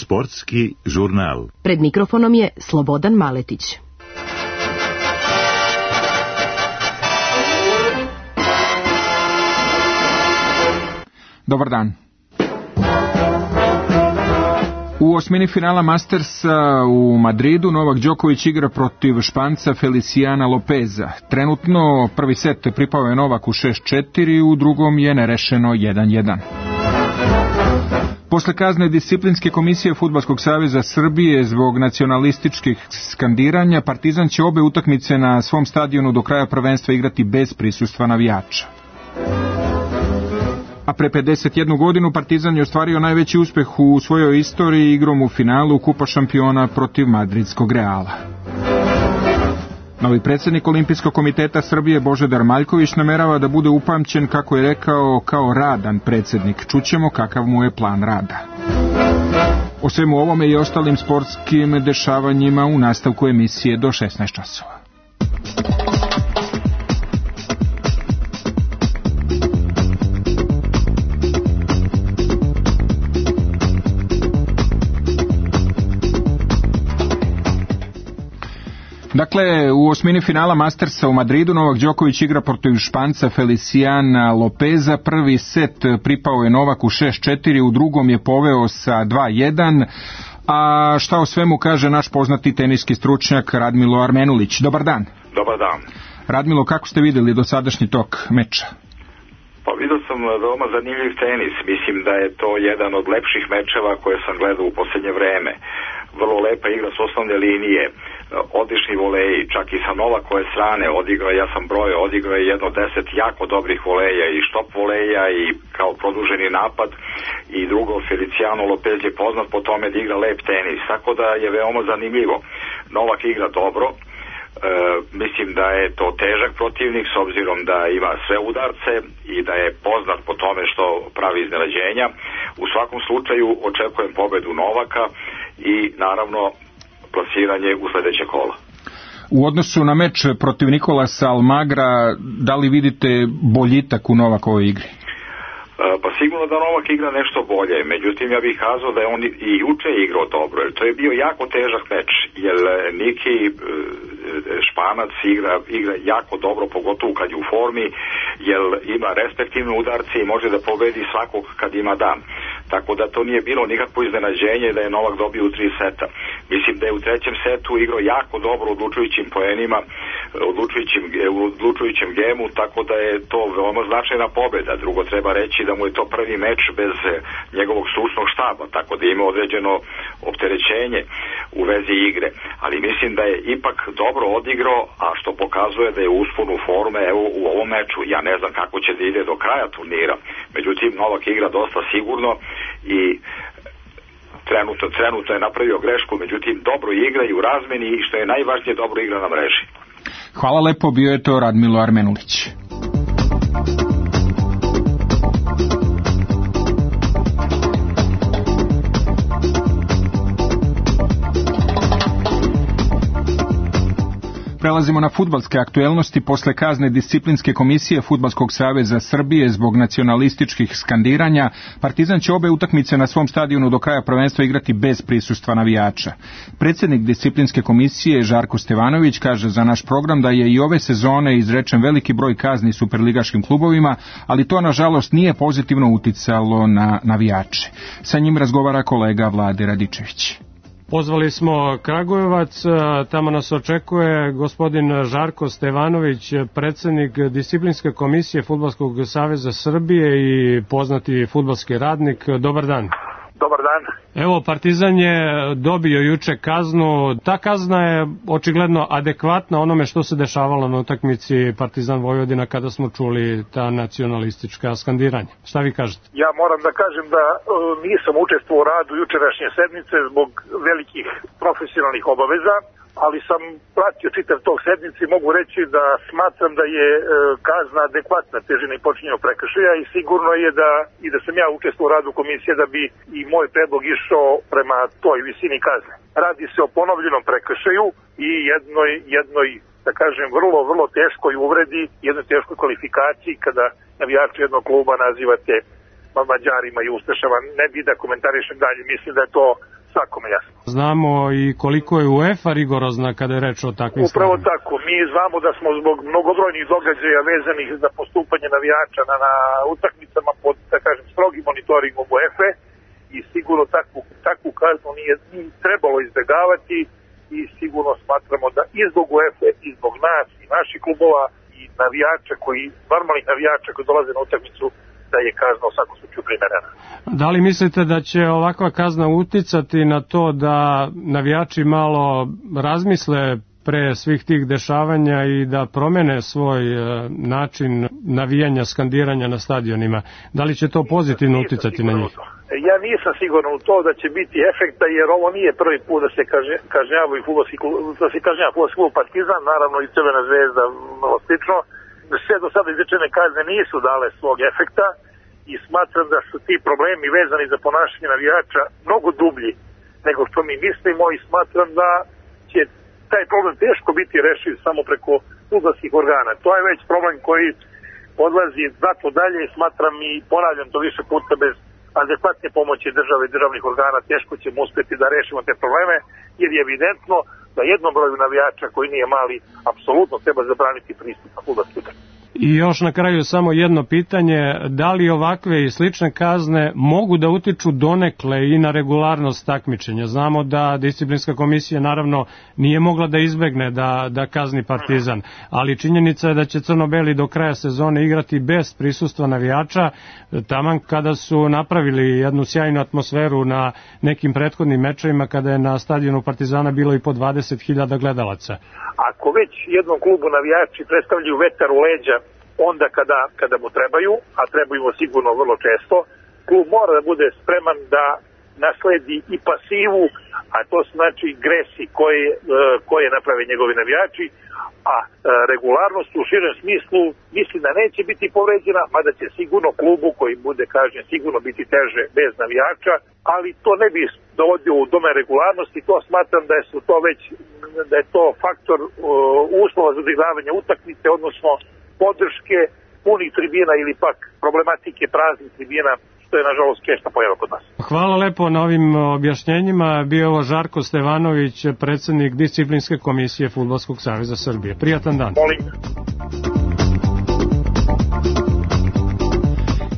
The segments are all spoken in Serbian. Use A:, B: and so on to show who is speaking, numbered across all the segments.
A: Sportski žurnal.
B: Pred mikrofonom je Slobodan Maletić.
C: Dobar dan. U osmini finala Mastersa u Madridu Novak Đoković igra protiv Španca Feliciana Lopeza. Trenutno prvi set pripao je Novaku 6-4, u drugom je nerešeno 1-1. Posle kazne disciplinske komisije Fudbalskog saveza Srbije zbog nacionalističkih skandiranja, Partizan će obe utakmice na svom stadionu do kraja prvenstva igrati bez prisustva navijača. A pre 51 godinu Partizan je ostvario najveći uspeh u svojoj istoriji igrom u finalu Kupa šampiona protiv madridskog Reala. Novi predsjednik Olimpijskog komiteta Srbije Božidar Maljković namerava da bude upamćen, kako je rekao, kao radan predsjednik. Čućemo kakav mu je plan rada. O svemu ovome i ostalim sportskim dešavanjima u nastavku emisije do 16 časova. Dakle, u osmini finala Mastersa u Madridu Novak Đoković igra protiv Španca Feliciana Lopeza. Prvi set pripao je Novaku 6-4, u drugom je poveo sa 2-1. A šta o svemu kaže naš poznati teniski stručnjak Radmilo Armenulić. Dobar dan.
D: Dobar dan.
C: Radmilo, kako ste vidjeli dosadašnji tok meča?
D: Pa vidio sam veoma zanimljiv tenis. Mislim da je to jedan od lepših mečeva koje sam gledao u posljednje vreme. Vrlo lepa igra s osnovne linije, odlični voleji, čak i sa Novakove strane ja sam brojao, odigrao je jedno 10 jako dobrih voleja i štop voleja i kao produženi napad, i drugo, Feliciano Lopez je poznat po tome da igra lep tenis, tako da je veoma zanimljivo. Novak igra dobro, mislim da je to težak protivnik s obzirom da ima sve udarce i da je poznat po tome što pravi iznenađenja. U svakom slučaju očekujem pobedu Novaka i naravno plasiranje u sljedeće kolo.
C: U odnosu na meč protiv Nikolasa Almagra, da li vidite boljitak u Novakovoj igri?
D: Pa sigurno da Novak igra nešto bolje, međutim ja bih kazao da je on i juče igrao dobro, jer to je bio jako težak meč, jer Niki Španac igra jako dobro, pogotovo kad je u formi, jer ima respektivne udarce i može da pobedi svakog kad ima dan. Tako da to nije bilo nikakvo iznenađenje da je Novak dobio u 3 seta. Mislim da je u trećem setu igrao jako dobro odlučujućim poenima, odlučujućem gemu, tako da je to veoma značajna pobeda. Drugo, treba reći da mu je to prvi meč bez njegovog stručnog štaba, tako da ima određeno opterećenje u vezi igre. Ali mislim da je ipak dobro odigrao, a što pokazuje da je u usponu forme evo u ovom meču. Ja ne znam kako će da ide do kraja turnira. Međutim, Novak igra dosta sigurno i trenutno je napravio grešku, međutim dobro igra i u razmeni i što je najvažnije dobro igra na mreži.
C: Hvala lepo, bio je to Radmilo Armenulić. Prelazimo na fudbalske aktuelnosti. Posle kazne disciplinske komisije Fudbalskog saveza Srbije zbog nacionalističkih skandiranja, Partizan će obe utakmice na svom stadionu do kraja prvenstva igrati bez prisustva navijača. Predsjednik disciplinske komisije Žarko Stevanović kaže za naš program da je i ove sezone izrečen veliki broj kazni superligaškim klubovima, ali to nažalost nije pozitivno uticalo na navijače. Sa njim razgovara kolega Vlade Radičević.
E: Pozvali smo Kragujevac, tamo nas očekuje gospodin Žarko Stevanović, predsjednik disciplinske komisije Fudbalskog saveza Srbije i poznati fudbalski radnik. Dobar dan.
F: Dobar dan.
E: Evo, Partizan je dobio juče kaznu. Ta kazna je očigledno adekvatna onome što se dešavalo na utakmici Partizan Vojvodina kada smo čuli ta nacionalistička skandiranja. Šta vi kažete?
F: Ja moram da kažem da nisam učestvovao u radu jučerašnje sednice zbog velikih profesionalnih obaveza, ali sam pratio čitav tog sednice i mogu reći da smatram da je kazna adekvatna težina i počinjenja prekršaja i sigurno je da sam ja učestvovao u radu komisije da bi i moj predlog išao prema toj visini kazne. Radi se o ponovljenom prekršaju i jednoj da kažem, vrlo teškoj uvredi, jednoj teškoj kvalifikaciji kada navijači jednog kluba nazivate Mađarima i Ustašama. Ne bi da komentarišem dalje, mislim da je to svakome jasno.
E: Znamo i koliko je UEFA rigorozna kada je reč o takvim stvarima.
F: Upravo tako, mi znamo da smo zbog mnogobrojnih događaja vezanih za postupanje navijača na utakmicama pod, da kažem, strogim monitoringom UEFA i sigurno takvu kaznu nije trebalo izbjegavati i sigurno smatramo da i zbog UEFA i zbog nas i naših klubova i navijača normalnih navijača koji dolaze na utakmicu, da je kazna u svakom slučaju primerena.
E: Da li mislite da će ovakva kazna uticati na to da navijači malo razmisle pre svih tih dešavanja i da promene svoj način navijanja, skandiranja na stadionima? Da li će to pozitivno uticati na njih?
F: Ja nisam siguran u to da će biti efekta, jer ovo nije prvi put da se kažnjavaju fudbalski klub Partizan, naravno i Crvena zvezda, slično. Sve do sada izrečene kazne nisu dale svog efekta i smatram da su ti problemi vezani za ponašanje navijača mnogo dublji nego što mi mislimo i smatram da će taj problem teško biti rešiv samo preko fudbalskih organa. To je već problem koji odlazi znatno dalje i smatram i ponavljam to više puta, bez adekvatne pomoći države i državnih organa teško ćemo uspjeti da rešimo te probleme, jer je evidentno da jednom broju navijača koji nije mali apsolutno treba zabraniti pristup na fudbalski utakmice.
E: I još na kraju samo jedno pitanje, da li ovakve i slične kazne mogu da utiču donekle i na regularnost takmičenja? Znamo da disciplinska komisija naravno nije mogla da izbegne da kazni Partizan, ali činjenica je da će crno-beli do kraja sezone igrati bez prisustva navijača, taman kada su napravili jednu sjajnu atmosferu na nekim prethodnim mečevima kada je na stadionu Partizana bilo i po 20.000 gledalaca.
F: Ako već jednom klubu navijači predstavljaju vetar u leđa onda kada mu trebaju, a trebaju mu sigurno vrlo često, klub mora da bude spreman da nasledi i pasivu, a to znači gresi koje naprave njegovi navijači, a regularnost u širem smislu mislim da neće biti povređena, mada će sigurno klubu koji bude kažnjen sigurno biti teže bez navijača, ali to ne bi dovodio u dome regularnosti, to smatram da je to faktor uslova za odigravanje utakmice, odnosno podrške punih tribina ili pak problematike praznih tribina, što je nažalost česta pojava kod nas.
E: Hvala lepo na ovim objašnjenjima. Bio je ovo Žarko Stevanović, predsjednik Disciplinske komisije Fudbalskog saveza Srbije. Prijatan dan.
F: Molim.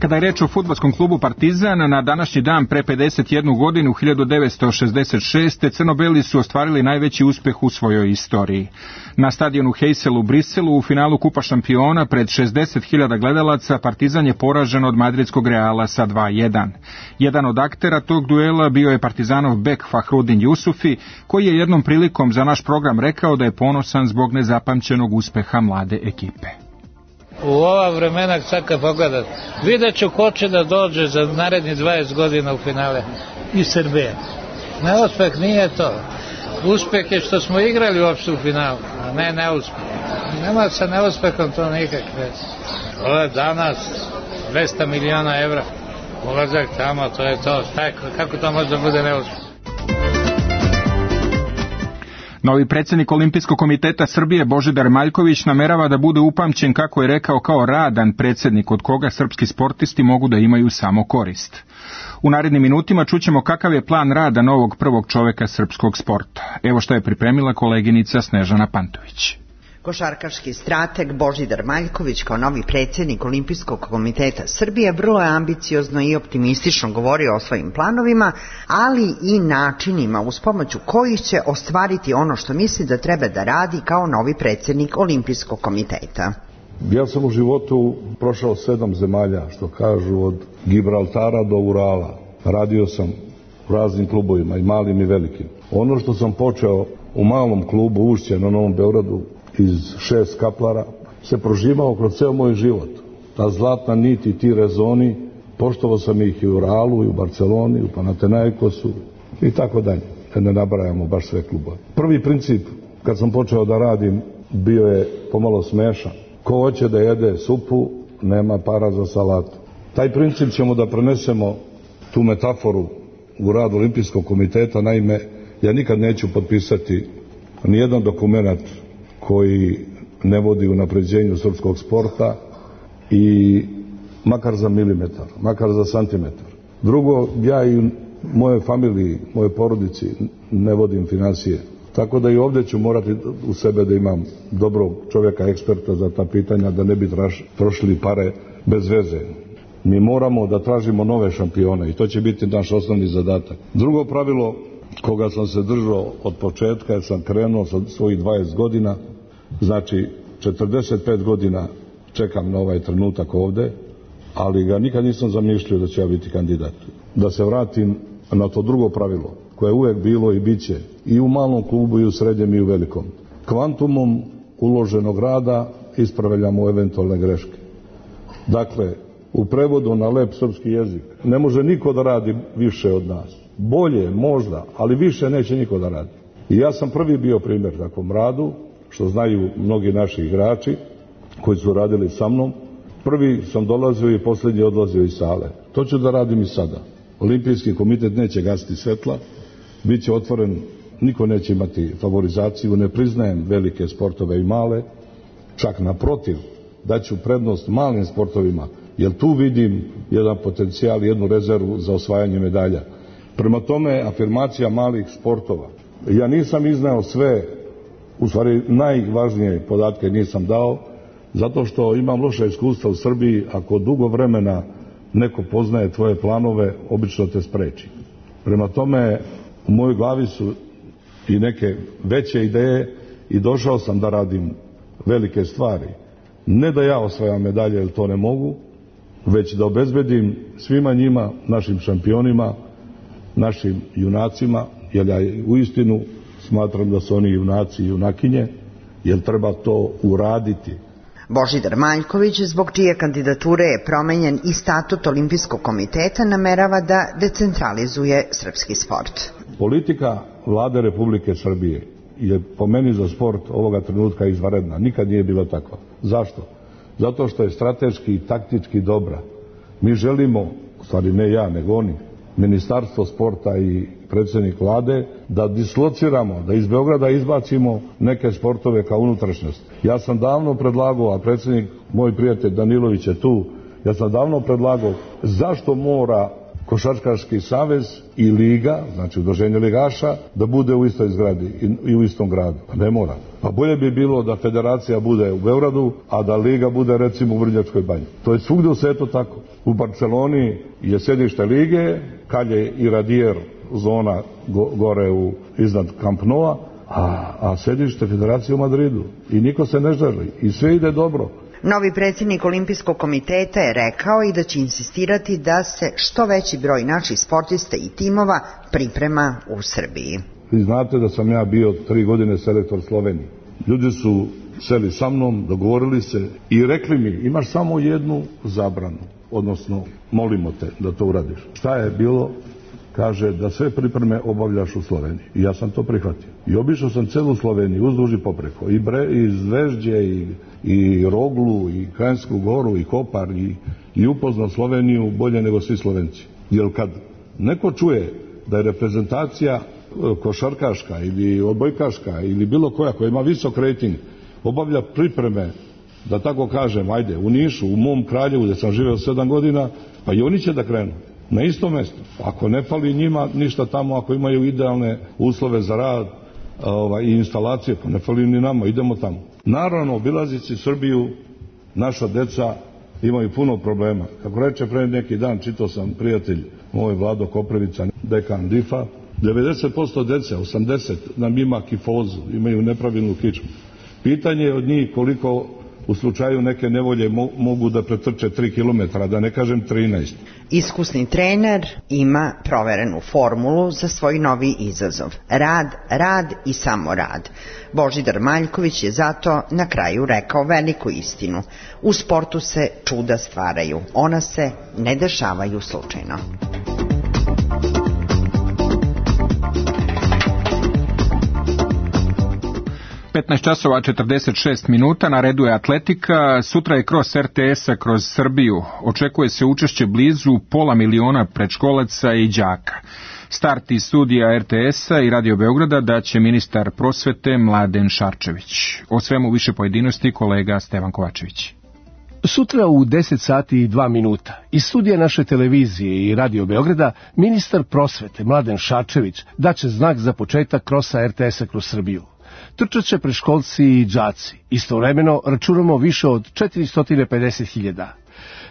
C: Kada je reč o fudbalskom klubu Partizan, na današnji dan pre 51 godinu, 1966. crno-beli su ostvarili najveći uspeh u svojoj istoriji. Na stadionu Heysel u Briselu u finalu Kupa šampiona pred 60.000 gledalaca Partizan je poražen od madridskog Reala sa 2:1. Jedan od aktera tog duela bio je Partizanov bek Fahrudin Jusufi, koji je jednom prilikom za naš program rekao da je ponosan zbog nezapamćenog uspeha mlade ekipe.
G: U ova vremena, sad kad pogledam, vidjet ću ko će da dođe za naredni 20 godina u finale iz Srbije. Neuspeh nije to. Uspeh je što smo igrali uopšte u finalu, a ne neuspeh. Nema sa neuspehom to nikakve. Ovo je danas 200 miliona evra. Ulazak tamo, to je to. Kako to može da bude neuspeh?
C: Novi predsjednik Olimpijskog komiteta Srbije Božidar Maljković namerava da bude upamćen, kako je rekao, kao radan predsjednik od koga srpski sportisti mogu da imaju samo korist. U narednim minutima čućemo kakav je plan rada novog prvog čoveka srpskog sporta. Evo što je pripremila koleginica Snežana Pantović.
H: Košarkaški strateg Božidar Maljković kao novi predsjednik Olimpijskog komiteta Srbije vrlo je ambiciozno i optimistično govorio o svojim planovima, ali i načinima uz pomoću kojih će ostvariti ono što misli da treba da radi kao novi predsjednik Olimpijskog komiteta.
I: Ja sam u životu prošao 7 zemalja, što kažu, od Gibraltara do Urala. Radio sam u raznim klubovima, i malim i velikim. Ono što sam počeo u malom klubu Ušće na Novom Beogradu iz 6 kaplara se proživao kroz ceo moj život. Ta zlatna nit i ti rezoni, poštovao sam ih i u Realu, i u Barceloni, i u Panathinaikosu i tako dalje, kad ne nabrajamo baš sve klubove. Prvi princip, kad sam počeo da radim, bio je pomalo smešan. Ko hoće da jede supu, nema para za salatu. Taj princip ćemo da prenesemo, tu metaforu, u rad Olimpijskog komiteta. Naime, ja nikad neću potpisati nijedan dokument koji ne vodi unapređenju srpskog sporta, i makar za milimetar, makar za santimetar. Drugo, ja i moje familiji, moje porodici ne vodim financije. Tako da i ovdje ću morati u sebe da imam dobrog čovjeka, eksperta za ta pitanja, da ne bi trošili pare bez veze. Mi moramo da tražimo nove šampione i to će biti naš osnovni zadatak. Drugo pravilo koga sam se držao od početka, jer sam krenuo sa svojih 20 godina, znači 45 godina čekam na ovaj trenutak ovdje, ali ga nikad nisam zamišljao da će ja biti kandidat. Da se vratim na to drugo pravilo, koje je uvijek bilo i bit će, i u malom klubu, i u srednjem, i u velikom. Kvantumom uloženog rada ispravljamo eventualne greške. Dakle, u prevodu na lep srpski jezik, ne može niko da radi više od nas. Bolje, možda, ali više neće niko da radi. I ja sam prvi bio primjer takvom radu, što znaju mnogi naši igrači koji su radili sa mnom. Prvi sam dolazio i posljednji odlazio iz sale. To ću da radim i sada. Olimpijski komitet neće gasiti svetla, bit će otvoren, niko neće imati favorizaciju, ne priznajem velike sportove i male, čak naprotiv, daću prednost malim sportovima, jer tu vidim jedan potencijal, jednu rezervu za osvajanje medalja. Prema tome, afirmacija malih sportova. Ja nisam iznao sve, u stvari najvažnije podatke nisam dao, zato što imam loše iskustva u Srbiji. Ako dugo vremena neko poznaje tvoje planove, obično te spreči. Prema tome, u mojoj glavi su i neke veće ideje i došao sam da radim velike stvari. Ne da ja osvajam medalje, jer to ne mogu, već da obezbedim svima njima, našim šampionima, našim junacima, jer ja uistinu smatram da su oni junaci i junakinje, jer treba to uraditi.
H: Božidar Maljković, zbog čije kandidature je promenjen i statut Olimpijskog komiteta, namerava da decentralizuje srpski sport.
I: Politika Vlade Republike Srbije je po meni za sport ovoga trenutka izvanredna. Nikad nije bilo tako. Zašto? Zato što je strateški i taktički dobra. Mi želimo, u stvari ne ja, nego oni, Ministarstvo sporta i predsjednik Vlade, da dislociramo, da iz Beograda izbacimo neke sportove kao unutrašnjost. Ja sam davno predlagao, a predsjednik, moj prijatelj Danilović je tu, ja sam davno predlagao zašto mora Košarkaški savez i liga, znači udruženje ligaša, da bude u istoj zgradi i u istom gradu. Pa ne mora. Pa bolje bi bilo da federacija bude u Beogradu, a da liga bude recimo u Vrnjačkoj banji. To je svugdje u svijetu tako. U Barceloni je sjedište lige, Kalje i Radijer zona gore iznad Camp Noua, a sjedište federacije u Madridu. I niko se ne želi. I sve ide dobro.
H: Novi predsjednik Olimpijskog komiteta je rekao i da će insistirati da se što veći broj naših sportista i timova priprema u Srbiji.
I: Vi znate da sam ja bio 3 godine selektor Slovenije. Ljudi su seli sa mnom, dogovorili se i rekli mi, imaš samo jednu zabranu, odnosno molimo te da to uradiš. Šta je bilo? Kaže da sve pripreme obavljaš u Sloveniji. I ja sam to prihvatio. I obišao sam celu Sloveniju, uzduž i popreko. I Zvežđe, i Roglu, i Kranjsku Goru, i Kopar, i upoznao Sloveniju bolje nego svi Slovenci. Jer kad neko čuje da je reprezentacija košarkaška ili odbojkaška ili bilo koja ima visok rejting, obavlja pripreme, da tako kažem, ajde, u Nišu, u mom Kraljevu gdje sam živeo 7 godina, pa i oni će da krenu. Na isto mjesto. Ako ne fali njima ništa tamo, ako imaju idealne uslove za rad i instalacije, pa ne fali ni nama, idemo tamo. Naravno, obilazići Srbiju, naša deca imaju puno problema. Kako reče pre neki dan, čitao sam prijatelj moj Vlado Koprivica, dekan DIF-a, 90% dece, 80 nam ima kifozu, imaju nepravilnu kičmu. Pitanje je od njih koliko u slučaju neke nevolje mogu da pretrče 3 km, da ne kažem 13.
H: Iskusni trener ima proverenu formulu za svoj novi izazov. Rad, rad i samo rad. Božidar Maljković je zato na kraju rekao veliku istinu. U sportu se čuda stvaraju. Ona se ne dešavaju slučajno.
C: 15 časova 46 minuta, na redu je atletika, sutra je kros RTS-a kroz Srbiju. Očekuje se učešće blizu 500.000 predškolaca i đaka. Start iz studija RTS-a i Radio Beograda daće ministar prosvete Mladen Šarčević. O svemu više pojedinosti kolega Stevan Kovačević.
J: Sutra u 10 sati i 2 minuta iz studija naše televizije i Radio Beograda ministar prosvete Mladen Šarčević daće znak za početak krosa RTS-a kroz Srbiju. Trčaće preškolci i đaci. Istovremeno računamo više od 450.000.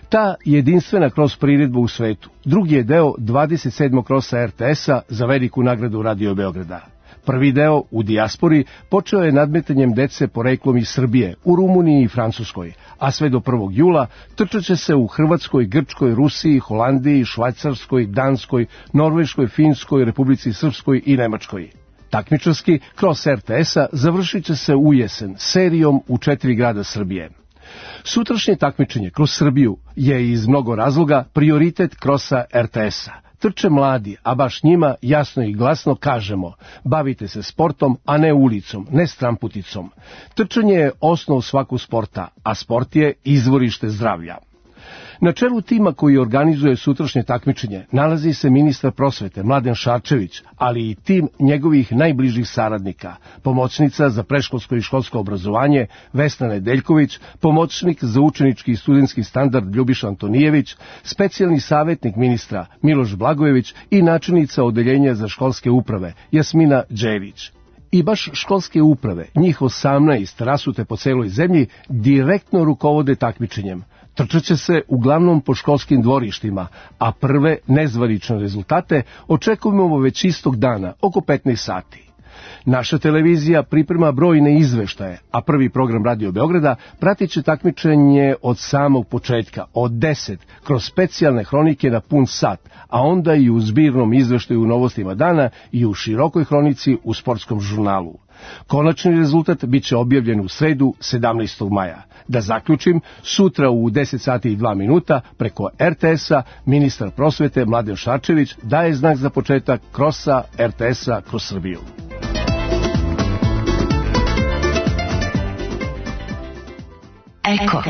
J: Ta jedinstvena kroz priredba u svetu drugi je deo 27. krosa RTS-a za veliku nagradu Radio Beograda. Prvi deo, u dijaspori, počeo je nadmetanjem dece poreklom iz Srbije, u Rumuniji i Francuskoj, a sve do 1. jula trčaće se u Hrvatskoj, Grčkoj, Rusiji, Holandiji, Švajcarskoj, Danskoj, Norveškoj, Finskoj, Republici Srpskoj i Nemačkoj. Takmičarski kroz RTS-a završit će se u jesen serijom u 4 grada Srbije. Sutrašnje takmičenje kroz Srbiju je iz mnogo razloga prioritet krosa RTS-a. Trče mladi, a baš njima jasno i glasno kažemo: bavite se sportom, a ne ulicom, ne stramputicom. Trčanje je osnov svakog sporta, a sport je izvorište zdravlja. Na čelu tima koji organizuje sutrašnje takmičenje nalazi se ministar prosvete Mladen Šarčević, ali i tim njegovih najbližih saradnika, pomoćnica za predškolsko i školsko obrazovanje Vesna Nedeljković, pomoćnik za učenički i studentski standard Ljubiša Antonijević, specijalni savjetnik ministra Miloš Blagojević i načelnica odeljenja za školske uprave Jasmina Đelić. I baš školske uprave, njih 18 rasute po celoj zemlji, direktno rukovode takmičenjem. Trčaće se uglavnom po školskim dvorištima, a prve nezvanične rezultate očekujemo već istog dana, oko 15 sati. Naša televizija priprema brojne izveštaje, a prvi program Radio Beograda pratit će takmičenje od samog početka, od 10, kroz specijalne hronike na pun sat, a onda i u zbirnom izveštaju u Novostima dana i u širokoj hronici u sportskom žurnalu. Konačni rezultat biće objavljen u sredu 17. maja. Da zaključim, sutra u 10 sati i 2 minuta preko RTS-a ministar prosvete Mladen Šarčević daje znak za početak krosa RTS-a kroz Srbiju.
K: Eko.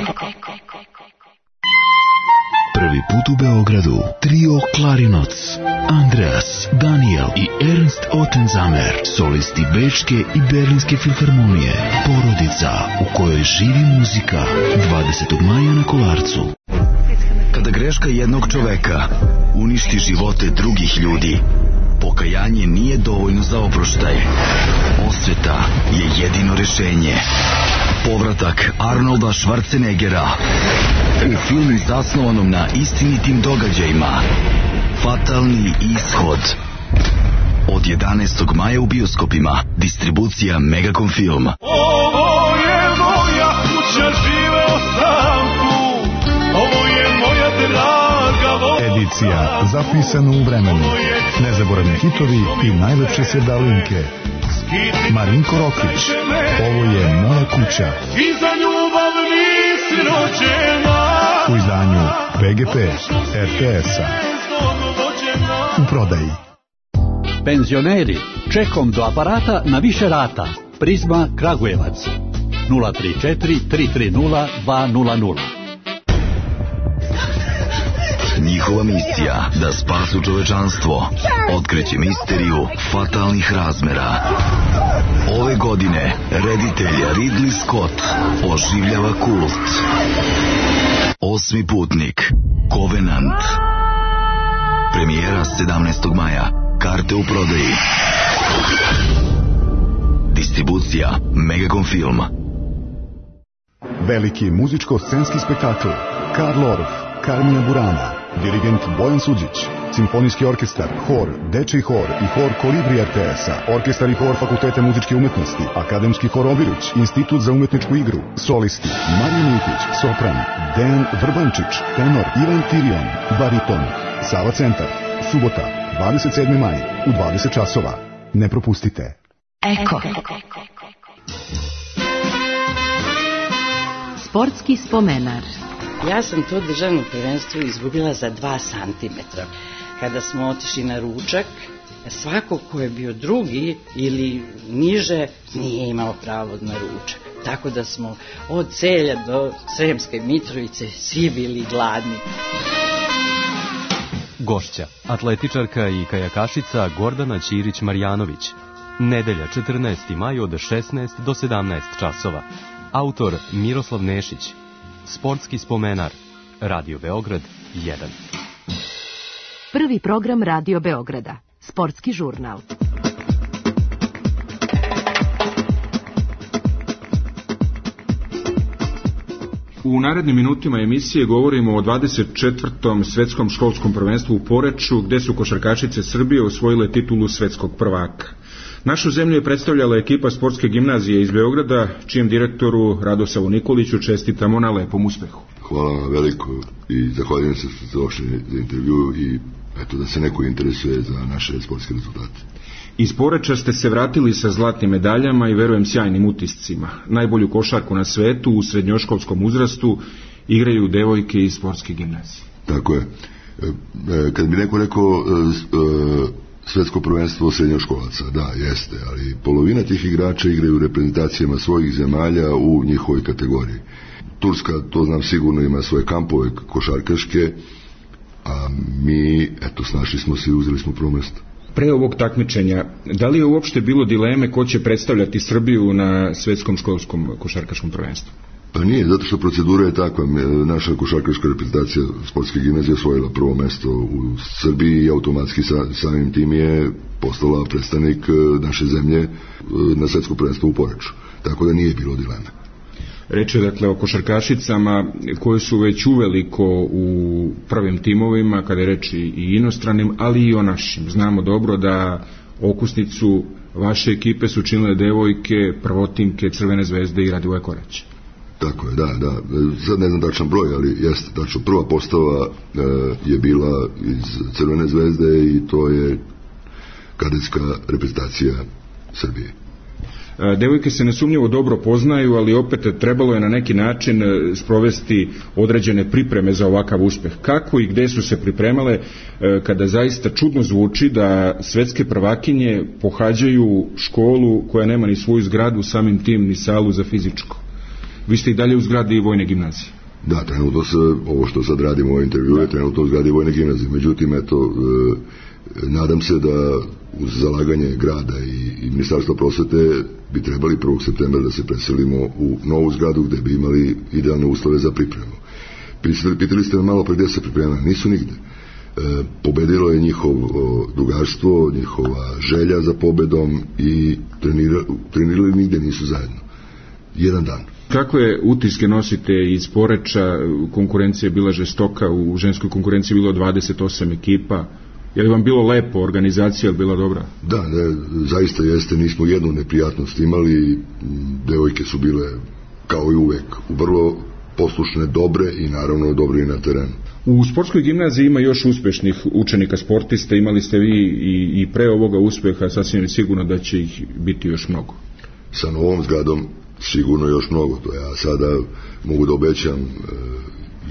K: Prvi put u Beogradu trio Klarinoc, Andreas, Daniel i Ernst Ottenzamer, solisti Bečke i Berlinske filharmonije, porodica u kojoj živi muzika, 20. maja na Kolarcu. Kada greška jednog čoveka uništi živote drugih ljudi, pokajanje nije dovoljno za oproštaj. Osveta je jedino rešenje. Povratak Arnolda Schwarzeneggera u filmu zasnovanom na istinitim događajima Fatalni ishod. Od 11. maja u bioskopima. Distribucija Megacom Film.
L: Ovo je moja kuća, živeo sam tu. Ovo je moja draga
M: edicija zapisana u vremenu. Nezaboravni hitovi i najlepše sredalinke. Marinko Rokvić. Ovo je moja kuća.
L: I za ljubav nisi rođena.
M: U izdanju PGP RTS-a. U prodaji.
N: Penzioneri, čekom do aparata na više rata. Prizma Kragujevac 034 330 200.
K: Njihova misija da spasu čovečanstvo, otkriće misteriju fatalnih razmera. Ove godine reditelj Ridley Scott oživljava kult. Osmi putnik, Covenant. Premijera 17. maja. Karte u prodaji. Distribucija Megacom Film.
M: Veliki muzičko-scenski spektakl Karl Orff, Carmina Burana, dirigent Bojan Suđić, simfonijski orkestar, hor, dečiji hor i hor Kolibri RTS-a, orkestar i hor Fakulteta muzičke umetnosti, akademski hor Obiruć, institut za umetničku igru, solisti Marija Militić, sopran, Dejan Vrbančić, tenor Ivan Tirion, bariton, Sava Centar, subota, 27. maj, u 20 časova. Ne propustite.
B: Eko. Sportski spomenar.
O: Ja sam to državno prvenstvo izgubila za 2 santimetra. Kada smo otišli na ručak, svako ko je bio drugi ili niže nije imao pravo na ručak. Tako da smo od Celja do Sremske Mitrovice svi bili gladni.
P: Gošća, atletičarka i kajakašica Gordana Ćirić-Marjanović. Nedelja 14. maj od 16 do 17 časova. Autor Miroslav Nešić. Sportski spomenar. Radio Beograd 1.
B: Prvi program Radio Beograda. Sportski žurnal.
C: U narednim minutima emisije govorimo o 24. svetskom školskom prvenstvu u Poreču, gde su košarkašice Srbije osvojile titulu svetskog prvaka. Našu zemlju je predstavljala ekipa sportske gimnazije iz Beograda, čijem direktoru Radosavu Nikoliću čestitamo na lepom uspehu.
Q: Hvala vam veliko i zahvaljujem se što ste došli za intervju i eto da se neko interesuje za naše sportske rezultate.
C: Iz Poreča ste se vratili sa zlatnim medaljama i verujem sjajnim utiscima. Najbolju košarku na svetu u srednjoškolskom uzrastu igraju devojke iz sportske gimnazije.
Q: Tako je. Kad bi neko rekao svetsko prvenstvo srednjoškolaca, da, jeste, ali polovina tih igrača igraju u reprezentacijama svojih zemalja u njihovoj kategoriji. Turska, to znam sigurno, ima svoje kampove košarkaške, a mi, eto, snašli smo se i uzeli smo prvo mesto.
C: Pre ovog takmičenja, da li je uopšte bilo dileme ko će predstavljati Srbiju na svetskom školskom košarkaškom prvenstvu?
Q: Pa nije, zato što procedura je takva. Naša košarkaška reprezentacija sportske gimnazije osvojila prvo mesto u Srbiji i automatski samim tim je postala predstavnik naše zemlje na svetsko prvenstvo u Poreču. Tako da nije bilo dileme.
C: Reč je dakle o košarkašicama koje su već uveliko u prvim timovima, kada je reč i inostranim, ali i o našim. Znamo dobro da okusnicu vaše ekipe su činile devojke, prvotimke Crvene zvezde i Radivoje Korać.
Q: Tako je, da. Sad ne znam tačan broj, ali jeste tačno. Prva postava je bila iz Crvene zvezde i to je kadetska reprezentacija Srbije.
C: Devojke se nesumnjivo dobro poznaju, ali opet trebalo je na neki način sprovesti određene pripreme za ovakav uspeh. Kako i gde su se pripremale, kada zaista čudno zvuči da svetske prvakinje pohađaju školu koja nema ni svoju zgradu, samim tim ni salu za fizičko? Vi ste i dalje u zgradi Vojne gimnazije.
Q: Da, trenutno se, ovo što sad radimo u ovoj intervju je trenutno u zgradi Vojne gimnazije. Međutim, eto, nadam se da uz zalaganje grada i Ministarstva prosvete bi trebali 1. septembra da se preselimo u novu zgradu gde bi imali idealne uslove za pripremu. Pitali ste me malo pre gde se pripremali, nisu nigde. Pobedilo je njihovo drugarstvo, njihova želja za pobedom i trenirali nigde nisu zajedno. Jedan dan.
C: Kakve utiske nosite iz Poreča? Konkurencija je bila žestoka, u ženskoj konkurenciji bilo 28 ekipa. Je li vam bilo lepo, organizacija je bila dobra?
Q: Da, zaista jeste, nismo jednu neprijatnost imali, devojke su bile kao i uvek vrlo poslušne, dobre i naravno dobre i na terenu.
C: U sportskoj gimnaziji ima još uspešnih učenika sportista, imali ste vi i pre ovoga uspeha, sasvim je sigurno da će ih biti još mnogo.
Q: Sa novom zgradom sigurno još mnogo, to ja sada mogu da obećam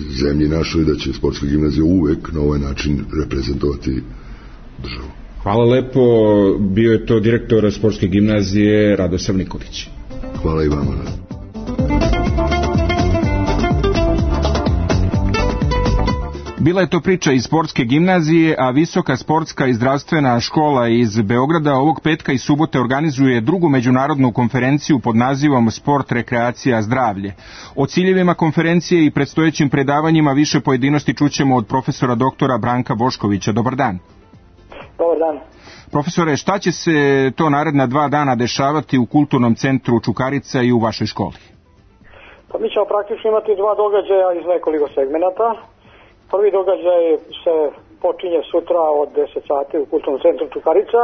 Q: zemlji našoj da će sportska gimnazija uvek na ovaj način reprezentovati državu.
C: Hvala lepo, bio je to direktor sportske gimnazije Radosav Nikolić.
Q: Hvala i vama.
C: Bila je to priča iz sportske gimnazije, a Visoka sportska i zdravstvena škola iz Beograda ovog petka i subote organizuje drugu međunarodnu konferenciju pod nazivom Sport, rekreacija, zdravlje. O ciljevima konferencije i predstojećim predavanjima više pojedinosti čućemo od profesora doktora Branka Boškovića. Dobar dan.
R: Dobar dan.
C: Profesore, šta će se to naredna 2 dana dešavati u Kulturnom centru Čukarica i u vašoj školi?
R: Pa mi ćemo praktično imati 2 događaja iz nekoliko segmenata. Prvi događaj se počinje sutra od 10 sati u Kulturnom centru Čukarica.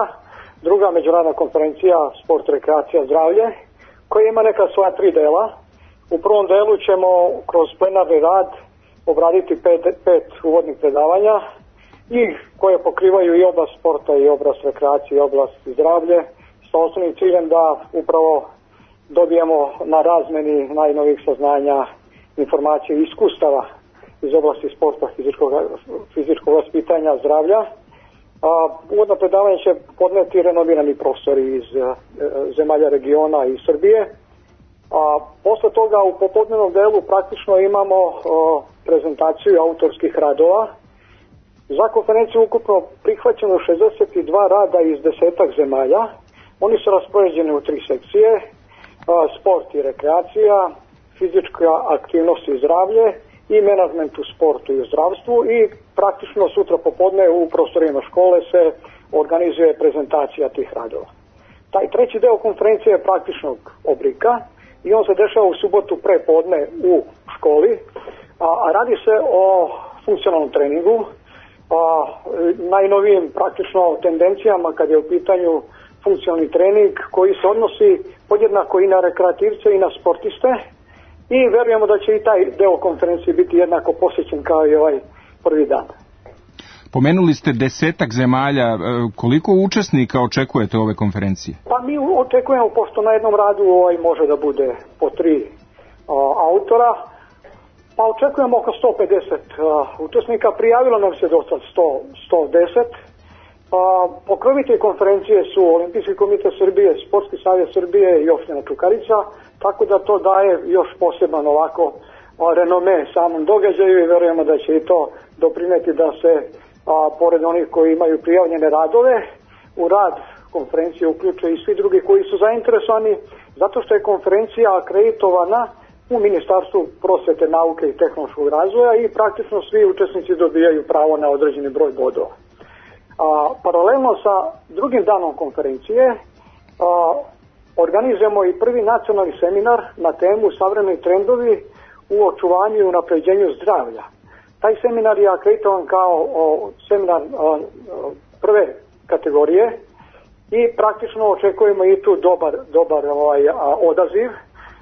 R: Druga međunarodna konferencija Sport, rekreacija, zdravlje, koja ima neka svoja 3 dela. U prvom delu ćemo kroz plenarni rad obraditi 5 uvodnih predavanja i koje pokrivaju i oblast sporta i oblast rekreacije i oblast zdravlje sa osnovnim ciljem da upravo dobijemo na razmeni najnovijih saznanja, informacije i iskustava iz oblasti sporta, fizičkog vaspitanja, zdravlja. Uvodno predavanje će podneti renovirani profesori iz zemalja regiona i Srbije. Posle toga u popodnevnom delu praktično imamo prezentaciju autorskih radova. Za konferenciju ukupno prihvaćeno 62 rada iz 10-ak zemalja. Oni su raspoređeni u 3 sekcije, sport i rekreacija, fizička aktivnost i zdravlje i menadžment u sportu i u zdravstvu i praktično sutra popodne u prostorima škole se organizuje prezentacija tih radova. Taj treći deo konferencije je praktičnog oblika i on se dešava u subotu prepodne u školi, a radi se o funkcionalnom treningu, najnovijim praktično tendencijama kad je u pitanju funkcionalni trening koji se odnosi podjednako i na rekreativce i na sportiste i verujemo da će i taj deo konferencije biti jednako posjećen kao i ovaj prvi dan.
C: Pomenuli ste 10 zemalja, koliko učesnika očekujete ove konferencije?
R: Pa mi očekujemo, pošto na jednom radu može da bude po 3 autora, pa očekujemo oko 150 učesnika, prijavilo nam se do sad 110. Pokrovitelji konferencije su Olimpijski komitet Srbije, Sportski savez Srbije i opština Čukarica, tako da to daje još poseban ovako renome samom događaju i verujemo da će i to doprineti da se pored onih koji imaju prijavljene radove u rad konferencije uključe i svi drugi koji su zainteresovani, zato što je konferencija akreditovana u Ministarstvu prosvete, nauke i tehnološkog razvoja i praktično svi učesnici dobijaju pravo na određeni broj bodova. Paralelno sa drugim danom konferencije organizujemo i prvi nacionalni seminar na temu savremeni trendovi u očuvanju i unapređenju zdravlja. Taj seminar je akreditovan kao seminar prve kategorije i praktično očekujemo i tu dobar odaziv.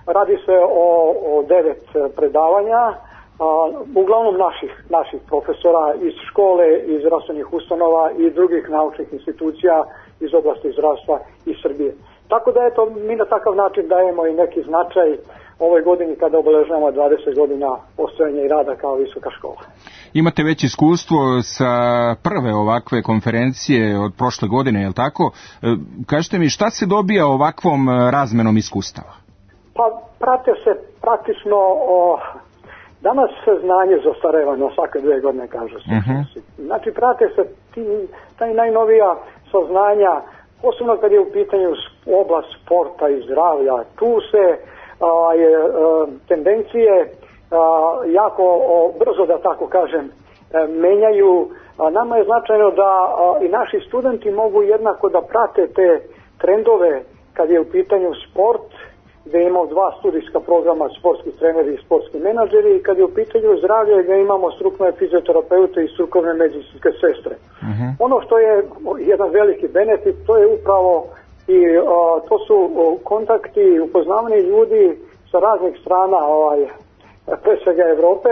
R: Radi se o 9 predavanja, uglavnom naših profesora iz škole, iz zdravstvenih ustanova i drugih naučnih institucija iz oblasti zdravstva iz Srbije. Tako da eto, mi na takav način dajemo i neki značaj ovoj godini kada obeležavamo 20 godina postojanja i rada kao visoka škola.
C: Imate već iskustvo sa prve ovakve konferencije od prošle godine, je li tako? Kažete mi, šta se dobija ovakvom razmenom iskustava?
R: Pa prate se praktično danas se znanje zastareva na svake 2 godine, kaže se. Znači prate se taj najnovija saznanja, posebno kad je u pitanju oblast sporta i zdravlja. Tu se tendencije jako brzo, da tako kažem, menjaju. Nama je značajno da i naši studenti mogu jednako da prate te trendove kad je u pitanju sport, gde imamo 2 studijska programa, sportski treneri i sportski menadžeri, i kad je u pitanju zdravlje, gde imamo strukovne fizioterapeute i strukovne medicinske sestre. Ono što je jedan veliki benefit, to je upravo i to su kontakti i upoznavanje ljudi sa raznih strana, pre svega Evrope,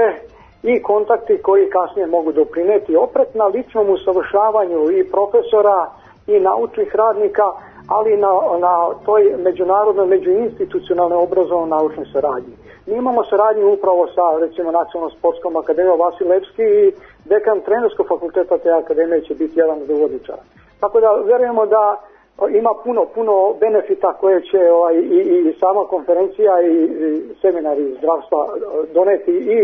R: i kontakti koji kasnije mogu doprineti opet na ličnom usavršavanju i profesora i naučnih radnika, ali na toj međunarodnoj, međuinstitucionalnoj obrazovno-naučnoj saradnji. Mi imamo saradnju upravo sa, recimo, Nacionalnom sportskom akademijom Vasil Levski i dekan trenerskog fakulteta te akademije će biti jedan od uvodničara. Tako da verujemo da ima puno benefita koje će i sama konferencija i seminari zdravstva doneti i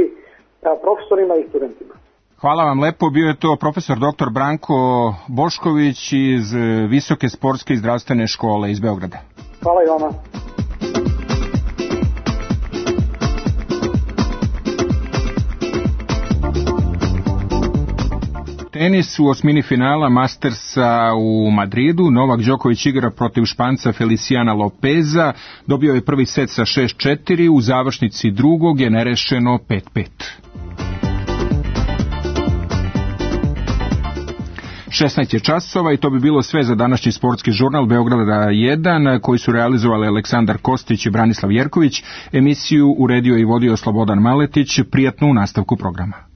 R: profesorima i studentima.
C: Hvala vam lepo, bio je to profesor dr. Branko Bošković iz Visoke sportske i zdravstvene škole iz Beograda.
R: Hvala i vama.
C: Tenis u osmini finala Mastersa u Madridu. Novak Đoković igra protiv Španca Feliciana Lopeza. Dobio je prvi set sa 6-4, u završnici drugog je nerešeno 5-5. 16 je časova i to bi bilo sve za današnji sportski žurnal Beograda 1 koji su realizovali Aleksandar Kostić i Branislav Jerković. Emisiju uredio i vodio Slobodan Maletić. Prijatnu nastavku programa.